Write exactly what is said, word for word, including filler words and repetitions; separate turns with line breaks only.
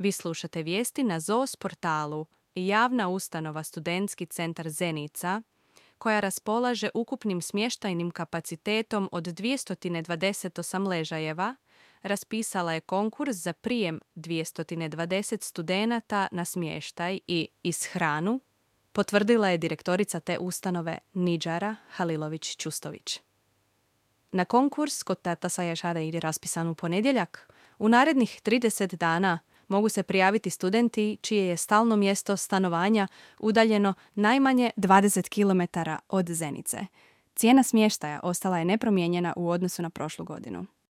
Vi slušate vijesti na Z O S portalu, javna ustanova Studentski centar Zenica, koja raspolaže ukupnim smještajnim kapacitetom od dvjesto dvadeset osam ležajeva, raspisala je konkurs za prijem dvjesto dvadeset studenata na smještaj i ishranu, potvrdila je direktorica te ustanove Nidžara Halilović-Čustović. Na konkurs, kod Tata Saješada je raspisan u ponedjeljak, u narednih trideset dana mogu se prijaviti studenti čije je stalno mjesto stanovanja udaljeno najmanje dvadeset kilometara od Zenice. Cijena smještaja ostala je nepromijenjena u odnosu na prošlu godinu.